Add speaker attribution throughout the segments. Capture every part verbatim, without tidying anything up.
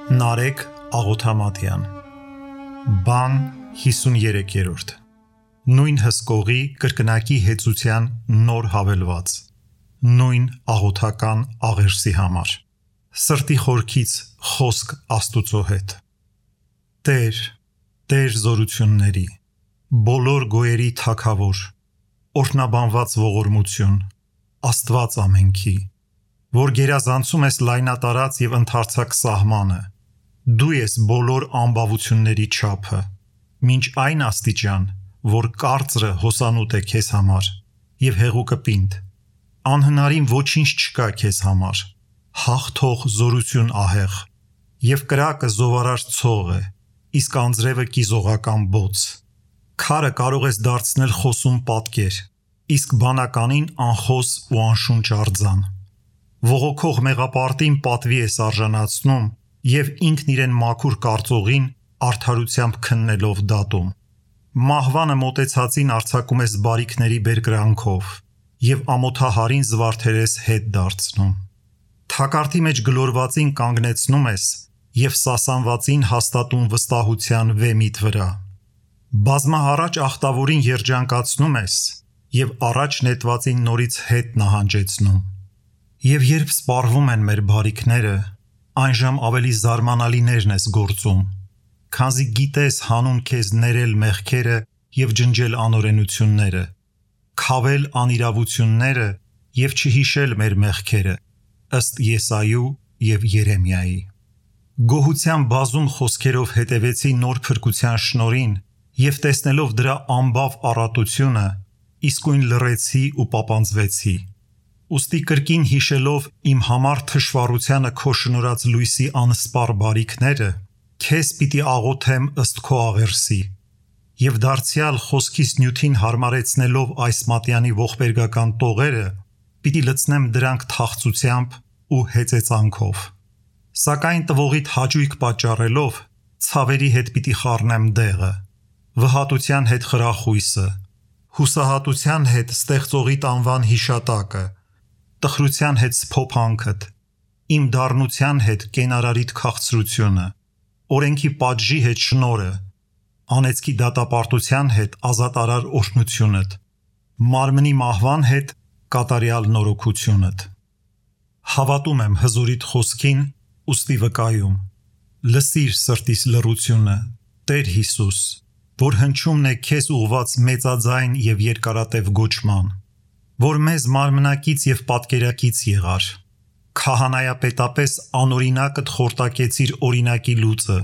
Speaker 1: Նարեկ Աղոթամատյան Բան հիսուներեքերորդ Նույն հսկողի կրկնակի հեծության նոր հավելված Նույն աղոթական աղերսի համար Սրտի խորքից խոսք Աստուծո հետ Տեր, Տեր զորությունների Բոլոր գոյերի թագավոր Օրհնաբանված ողորմություն Աստված ամենքի Որ գերազանցում ես լայնատարած և ընդարձակ սահմանը Դու ես բոլոր ամբավությունների չափը Մինչ այն աստիճան Որ կարծրը հոսանուտ է քեզ համար Եվ հեղուկը պինդ Անհնարին ոչինչ չկա քեզ համար Հաղթող զորություն ահեղ Եվ կրակը զովարար ցող է Իսկ անձրևը կիզողական բոց Քարը կարող ես դարձնել խոսուն պատկեր Իսկ բանականին անխոս ու անշունչ արձան Ողոքող մեղապարտին պատվի ես արժանացնում Եվ ինքն իրեն մաքուր կարծողին Արդարությամբ քննելով դատում Մահվանը մոտեցածին արձակում ես բարիքների բերկրանքով Եվ ամոթահարին զվարթեր ես հետ դարձնում Թակարդի մեջ գլորվածին կանգնեցնում ես Եվ սասանվածին հաստատում վստահության վեմիդ վրա Բազմահառաջ ախտավորին երջանկացնում ես Եվ առաջ նետվածին նորից հետ նահանջեցնում Եվ երբ սպառվում են մեր բարիքները Այնժամ ավելի զարմանալիներն ես գործում Քանզի գիտես հանուն քեզ ներել մեղքերը Եվ ջնջել անօրենությունները Քավել անիրավությունները Եվ չհիշել մեր մեղքերը Ըստ Եսայու և Երեմիայի Գոհության բազում խոսքերով հետևեցի նոր փրկության շնորհին Եվ տեսնելով դրա ամբավ առատությունը Իսկույն լռեցի ու պապանձվեցի Ուստի կրկին հիշելով իմ համար թշվառությանը քո շնորհած լույսի անսպառ բարիքները Քեզ պիտի աղոթեմ ըստ քո աղերսի Եվ դարձյալ խոսքիս նյութին հարմարեցնելով այս մատյանի ողբերգական տողերը Պիտի լցնեմ դրանք թախծությամբ ու հեծեծանքով Սակայն տվողիդ հաճույք պատճառելով Ցավերի հետ պիտի խառնեմ դեղը Վհատության հետ խրախույսը Հուսահատության հետ ստեղծողիդ անվան հիշատակը Տխրության հետ սփոփանքդ Իմ դառնության հետ կենարարիդ քաղցրությունը Օրենքի պատժի հետ շնորհը Անեծքի դատապարտության հետ ազատարար օրհնությունդ Մարմնի մահվան հետ կատարյալ նորոգությունդ Հավատում եմ հզորիդ խոսքին ուստի վկայում Լսիր սրտիս լռությունը Տեր Հիսուս Որ հնչումն է քեզ ուղված մեծաձայն և երկարատև գոչման Որ մեզ մարմնակից և պատկերակից եղար Քահանայապետապես անօրինակդ խորտակեցիր օրինակի լուծը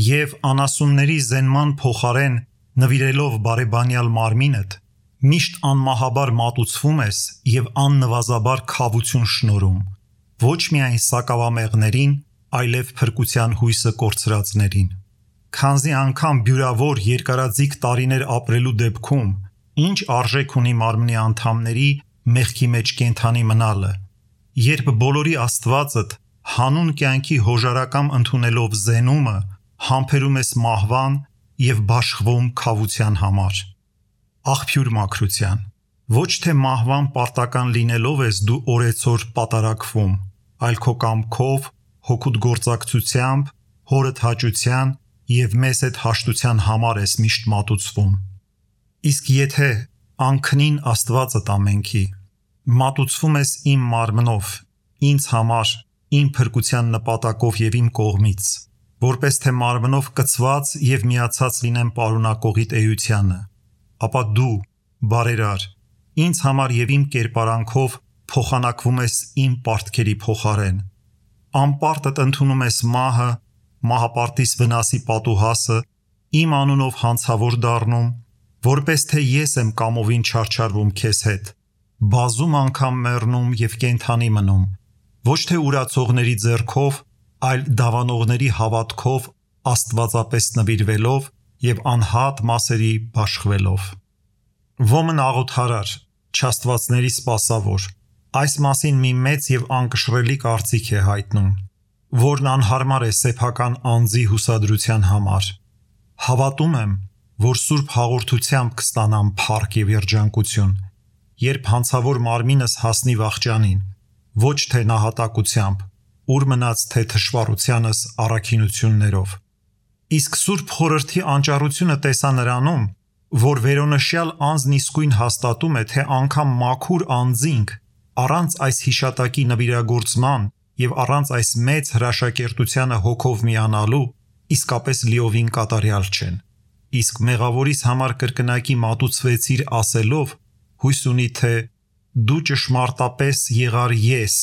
Speaker 1: Եվ անասունների զենման փոխարեն նվիրելով բարեբանյալ մարմինդ Միշտ անմահաբար մատուցվում ես և աննվազաբար քավություն շնորհում Ոչ միայն սակավամեղներին, այլև փրկության հույսը կորցրածներին Քանզի անգամ բյուրավոր երկարաձիգ տարիներ ապրելու դեպքում Ինչ արժեք ունի մարմնի անդամների մեղքի մեջ կենդանի մնալը Երբ բոլորի Աստվածդ հանուն կյանքի հոժարակամ ընդունելով զենումը Համբերում ես մահվան և բաշխվում քավության համար Աղբյուր մաքրության Ոչ թե մահվան պարտական լինելով ես դու օրեցօր պատարակվում Այլ քո կամքով, հոգուդ գործակցությամբ, հորդ հաճության և մեզ հետ հաշտության համար ես միշտ մատուցվում Իսկ եթե անքնին Աստվածդ ամենքի Մատուցվում ես իմ մարմնով, ինձ համար, իմ փրկության նպատակով և իմ կողմից Որպես թե մարմնով կցված և միացած լինեմ պարունակողիդ էությանը Ապա դու, բարերար, ինձ համար և իմ կերպարանքով փոխանակվում ես իմ պարտքերի փոխարեն Անպարտդ ընդունում ես մահը, մահապարտիս վնասի պատուհասը Իմ անունով հանցավոր դառնում Որպես թե ես եմ կամովին չարչարվում քեզ հետ Բազում անգամ մեռնում և կենդանի մնում Ոչ թե ուրացողների ձեռքով, այլ դավանողների հավատքով Աստվածապես նվիրվելով և անհատ մասերի բաշխվելով Ոմն աղոթարար, չաստվածների սպասավոր Այս մասին մի մեծ և անկշռելի կարծիք է հայտնում Որն անհարմար է սեփական անձի հուսադրության համար Հավատում եմ Որ սուրբ հաղորդությամբ կստանամ փառք և երջանկություն Երբ հանցավոր մարմինս հասնի վախճանին Ոչ թե նահատակությամբ ուր մնաց թե թշվառությանս առաքինություններով։ Իսկ Սուրբ Խորհրդի անճառությունը տեսա նրանում, որ վերոնշյալ անձն իսկույն հաստատում է, թե անգամ մաքուր անձինք առանց այս հիշատակի նվիրագործման եւ առանց այս մեծ հրաշակերտությանը հոգով միանալու իսկապես լիովին կատարյալ չեն։ Իսկ մեղավորիս համար կրկնակի մատուցվեցիր ասելով հույս ունի, թե դու ճշմարտապես եղար ես,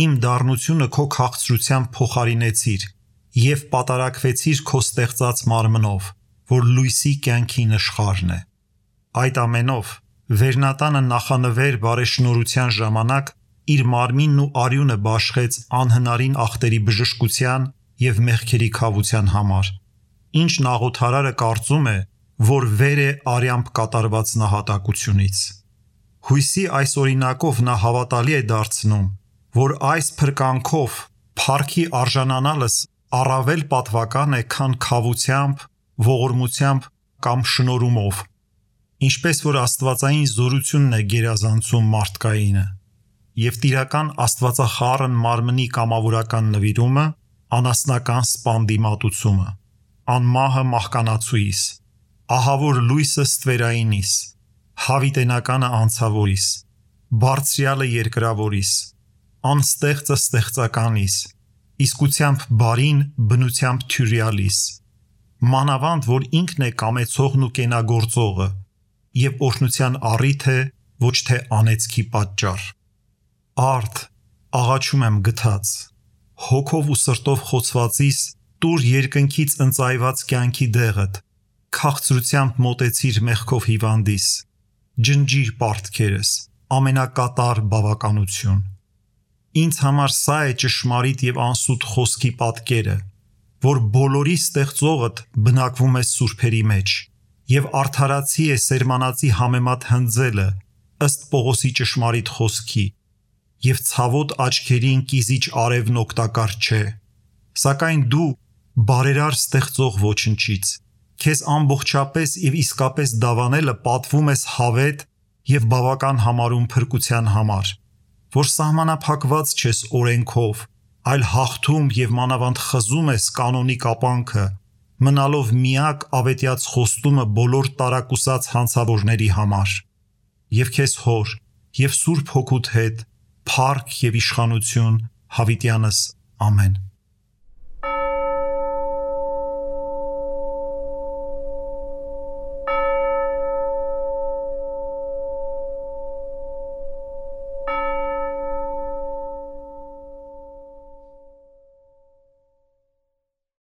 Speaker 1: իմ դառնությունը քո քաղցրությամբ փոխարինեցիր եւ պատարակվեցիր քո ստեղծած մարմնով, որ լույսի կյանքի նշխարն է։ Այդ ամենով Վերնատանը նախանվեր բարեշնորհության ժամանակ իր մարմինն ու արյունը բաշխեց անհնարին ախտերի բժշկության եւ մեղքերի քավության համար, ինչն աղոթարարը կարծում է, որ վեր է արյամբ կատարված նահատակությունից։ Հույսի այս օրինակով նա հավատալի է դարձնում, որ այս փրկանքով փառքի արժանանալս առավել պատվական է, քան քավությամբ, ողորմությամբ կամ շնորհումով, ինչպես որ աստվածային զորությունն է գերազանցում մարդկայինը, եւ տիրական աստվածախառն մարմնի կամավորական նվիրումը, անասնական սպանդի մատուցումը, անմահը մահկանացուիս, ահավոր լույսը ստվերայինիս, հավիտենականը անցավորիս, բարձրյալը երկրավորիս, անստեղծը ստեղծականիս, իսկությամբ բարին բնությամբ թյուրյալիս, մանավանդ որ ինքն է կամեցողն ու կենագործողը եւ օրհնության առիթ է, ոչ թե անեծքի պատճառ։ Արդ աղաչում եմ գթած, հոգով ու սրտով խոցվածիս տուր երկնքից ընծայված կյանքի դեղդ, քաղցրությամբ մոտեցիր մեղքով հիվանդիս, ջնջիր պարտքերս, ամենակատար բավականություն։ Ինձ համար սա է ճշմարիտ եւ անսուտ խոսքի պատկերը, որ բոլորի ստեղծողդ բնակվում է սուրբերի մեջ եւ արդարացի է սերմանացի համեմատ հնձելը ըստ Պողոսի ճշմարիտ խոսքի եւ ցավոտ աչքերին կիզիչ արևն օգտակար չէ, սակայն դու բարերար ստեղծող ոչնչից քեզ ամբողջապես եւ իսկապես դավանելը պատվում ես հավետ եւ բավական համարում փրկության համար, որ սահմանափակված չես օրենքով, այլ հաղթում եւ մանավանդ խզում ես կանոնի կապանքը, մնալով միակ ավետյաց խոստումը բոլոր տարակուսած հանցավորների համար։ Եվ քեզ հոր եւ Սուրբ Հոգուդ հետ փառք եւ իշխանություն հավիտյանս ամեն։